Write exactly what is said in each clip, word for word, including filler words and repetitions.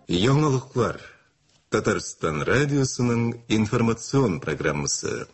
Яңалыклар. Татарстан радиосының информацион программасы.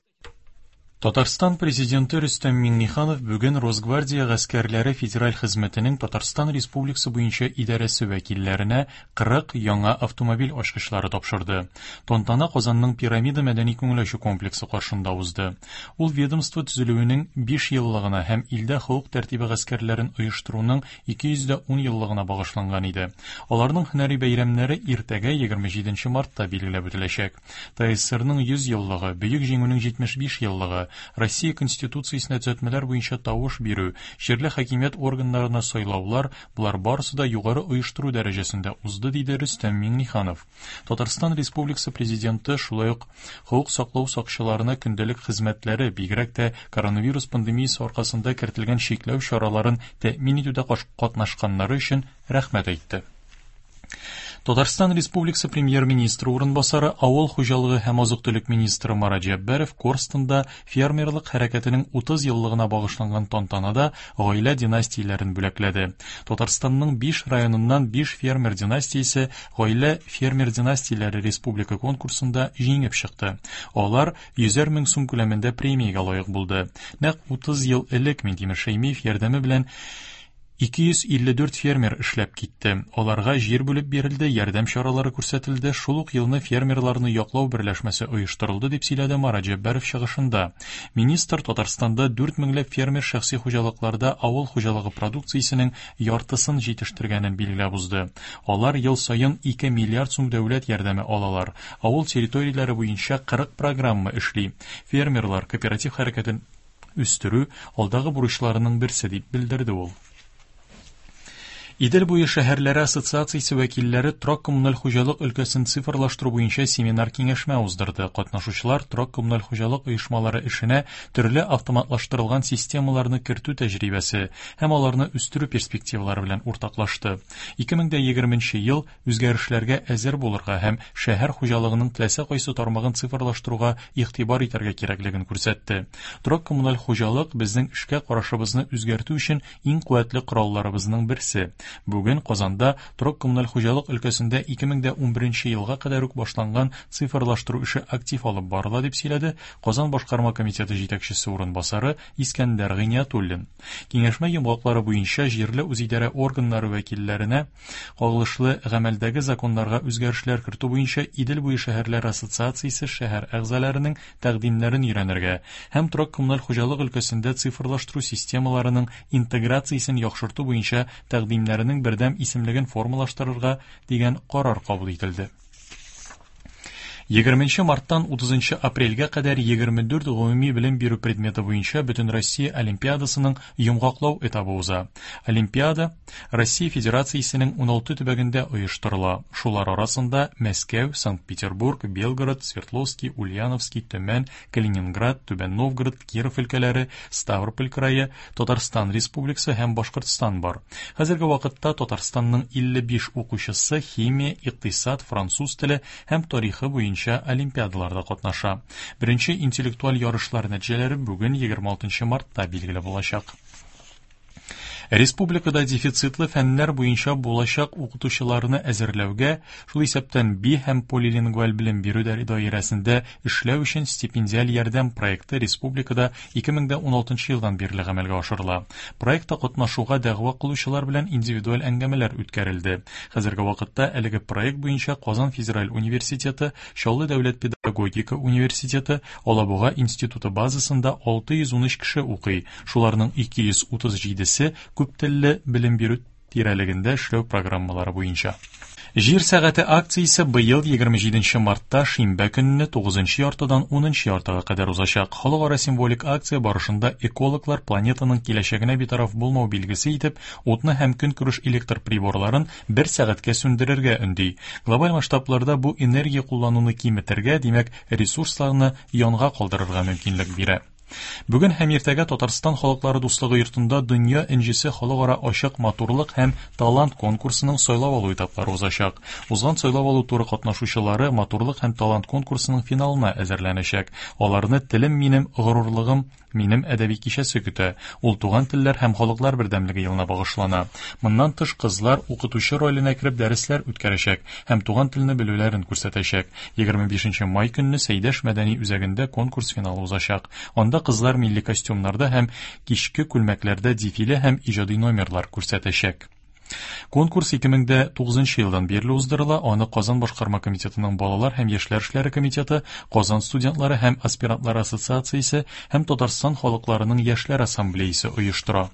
Татарстан президенты Рөстәм Миңнеханов бүген Росгвардия гаскәрләре федераль хезмәтенең Татарстан Республикасы буенча идарәсе вәкилләренә кырык яңа автомобиль ачкычлары тапшырды. Тантана Казанның Пирамида мәдәни күңел ачу комплексы каршында узды. Ул ведомство төзелүенең биш еллыгына һәм илдә хокук тәртибе гаскәрләрен оештыруның ике йөз дә ун еллыгына багышланган иде. Аларның һөнәри бәйрәмнәре иртәгә егерме җиденче мартта билгеләп үтеләчәк. ТССРның йөз еллыгы, Бөек Җиңүнең җитмеш биш еллыгы, Россия Конституциясенә төзәтмәләр буенча тавыш бирү, җирле хакимият органнарына сайлаулар, булар барысы да югары оештыру дәрәҗәсендә узды, диде Рөстәм Миңнеханов. Татарстан Республикасы президенты шулай ук хокук саклау сакчыларына көндәлек хезмәтләре, бигрәк тә коронавирус пандемиясе аркасында кертелгән чикләү чараларын тәэмин итүдә катнашканнары өчен рәхмәт әйтте. Татарстан Республикасы премьер-министры урынбасары, авыл хуҗалыгы һәм азык-төлек министры Марат Җәббаров Корстонда фермерлык хәрәкәтенең утыз еллыгына багышланган тантанада гаилә династияләрен бүләкләде. Татарстанның биш районыннан биш фермер династиясе гаилә фермер династияләре республика конкурсында җиңеп чыкты. Алар йөзәр мең сум күләмендә премиягә лаек булды. Нәкъ утыз ел элек Минтимер Шәймиев ярдәме белән ике йөз илле дүрт фермер эшләп китте. Аларга җир бүлеп бирелде, ярдәм чаралары күрсәтелде. Шул ук елны фермерларны яклау берләшмәсе оештырылды, дип сөйләде Марат Җәббаров чыгышында. Министр Татарстанда дүрт меңләп фермер шәхси хуҗалыкларда авыл хуҗалыгы продукциясенең яртысын җитештергәнен билгеләп узды. Алар ел саен ике миллиард сум дәүләт ярдәме алалар. Авыл территорияләре буенча кырык программа эшли. Фермерлар кооператив хәрәкәтен үстерү алдагы бурычларының берсе, дип белдерде ул. Идел буе шәһәрләре ассоциациясе вәкилләре торак-коммуналь хуҗалык өлкәсен цифрлаштыру буенча семинар киңәшмә уздырды. Катнашучылар торак-коммуналь хуҗалык оешмалары эшенә төрле автоматлаштырылган системаларны кертү тәҗрибәсе һәм аларны үстерү перспективалары белән уртаклашты. ике мең дә егерменче ел үзгәрешләргә әзер булырга һәм шәһәр хуҗалыгының теләсә кайсы тармагын цифрлаштыруга игътибар итәргә кирәклеген күрсәтте. Торак-коммуналь хуҗалык безнең эшкә карашыбызны үзгәртү өчен иң куәтле коралларыбызның берсе. Бүген Казанда торак-коммуналь хуҗалык өлкәсендә ике мең дә унберенче елга кадәр үк башланган цифрлаштыру эше актив алып барыла, дип сөйләде Казан башкарма комитеты җитәкчесе урынбасары Искәндәр Гыйниятуллин. Киңәшмә йомгаклары буенча җирле үзидарә органнары вәкилләренә кагылышлы гамәлдәге законнарга үзгәрешләр кертү буенча Идел буе шәһәрләр ассоциациясе шәһәр әгъзаларының тәкъдимнәрен өйрәнергә һәм торак-коммуналь хуҗалык өлкәсендә цифрлаштыру системаларының интеграциясен яхшырту буенча тәкъдимнәренең бердәм исемлеген формалаштырырга дигән карар кабул ителде. Егерменче марттан утызынчы апрельгә кадәр егерме дүрт гомуми белем бирү предметы буенча Бөтенроссия олимпиадасының йомгаклау этабы уза. Олимпиада Россия Федерациясенең уналты төбәгендә оештырыла. Шулар арасында Мәскәү, Санкт-Петербург, Белгород, Свердловский, Ульяновский, Төмән, Калининград, Түбән Новгород, Киров өлкәләре, Ставрополь крае, Татарстан Республикасы һәм Башкортстан бар. Хәзерге вакытта Татарстанның илле биш укучысы химия, икътисад, француз теле һәм тарихы буенча олимпиадаларда катнаша. Беренче интеллектуаль ярышлар нәтиҗәләре бүген егерме алтынчы мартта билгеле булачак. Республикада дефицитлы фәннәр буенча булачак укытучыларны әзерләүгә, шул исәптән би һәм полилингваль белем бирү даирәсендә эшләү өчен стипендиаль ярдәм проекты республикада ике мең дә уналтынчы елдан бирле гамәлгә ашырыла. Проектта катнашуга дәгъва кылучылар белән индивидуаль әңгәмәләр үткәрелде. Хәзерге вакытта әлеге проект буенча Казан федераль университеты, Чаллы дәүләт педагогика университеты, Алабуга институты базасында алты йөз ун өч кеше укый. Шуларның ике йөз утыз җидесе күп телле белем бирү тирәлегендә эшләү программалары буенча. Җир сәгате акциясе быел егерме җиденче мартта шимбә көнне тугызынчы яртыдан унынчы яртыга кадәр узачак. Халыкара символик акция барышында экологлар планетаның киләчәгенә битараф булмау билгесе итеп утны һәм көнкүреш электр приборларын бер сәгатькә сүндерергә өнди. Глобаль масштабларда бу энергия куллануны киметергә, димәк, ресурсларны янга калдырырга мөмкинлек бирә. Бүген һәм иртәгә Татарстан халыклары дуслыгы йортында Дөнья энҗесе халыкара ачык матурлык һәм талант конкурсының сайлап алу этаплары узачак. Узган сайлап алу туры катнашучылары матурлык һәм талант конкурсының финалына әзерләнәчәк. Аларны Телем минем горурлыгым минем әдәби кичәсе көтә. Ул Туган телләр һәм халыклар бердәмлеге елына багышлана. Моннан тыш, кызлар укытучы роленә кереп дәресләр үткәрәчәк һәм туган телне белүләрен күрсәтәчәк. Егерме бишенче май көнне Сәйдәш мәдәни үзәгендә конкурс финалы узачак. Анда кызлар милли костюмнарда һәм кичке күлмәкләрдә дефиле һәм иҗади номерлар күрсәтәчәк. Конкурс ике мең дә тугызынчы елдан бирле уздырыла. Аны Казан башкарма комитетының балалар һәм яшьләр эшләре комитеты, Казан студентлары һәм аспирантлар ассоциациясе һәм Татарстан халыкларының яшьләр ассамблеясы оештыра.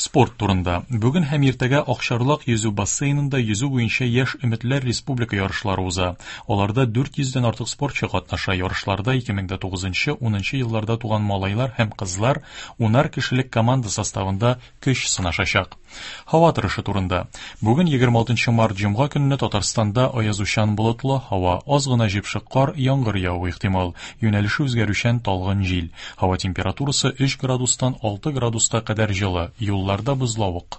Спорт турында. Бүген һәм иртәгә Акчарлак йөзү бассейнында йөзү буенча яшь өметләр республика ярышлары уза. Аларда дүрт йөздән артык спортчы катнаша. Ярышларда ике мең дә тугызынчы, унынчы елларда туган малайлар һәм кызлар унар кешелек команда составында көч сынашачак. Һава торышы турында. Бүген егерме алтынчы март җомга көнне Татарстанда аязучан болытлы һава, аз гына җепшек кар, яңгыр явуы ихтимал. Юнәлеше үзгәрүчән талгын җил. Һава температурасы өч градустан алты градуска кадәр җылы. Юлларда бозлавык.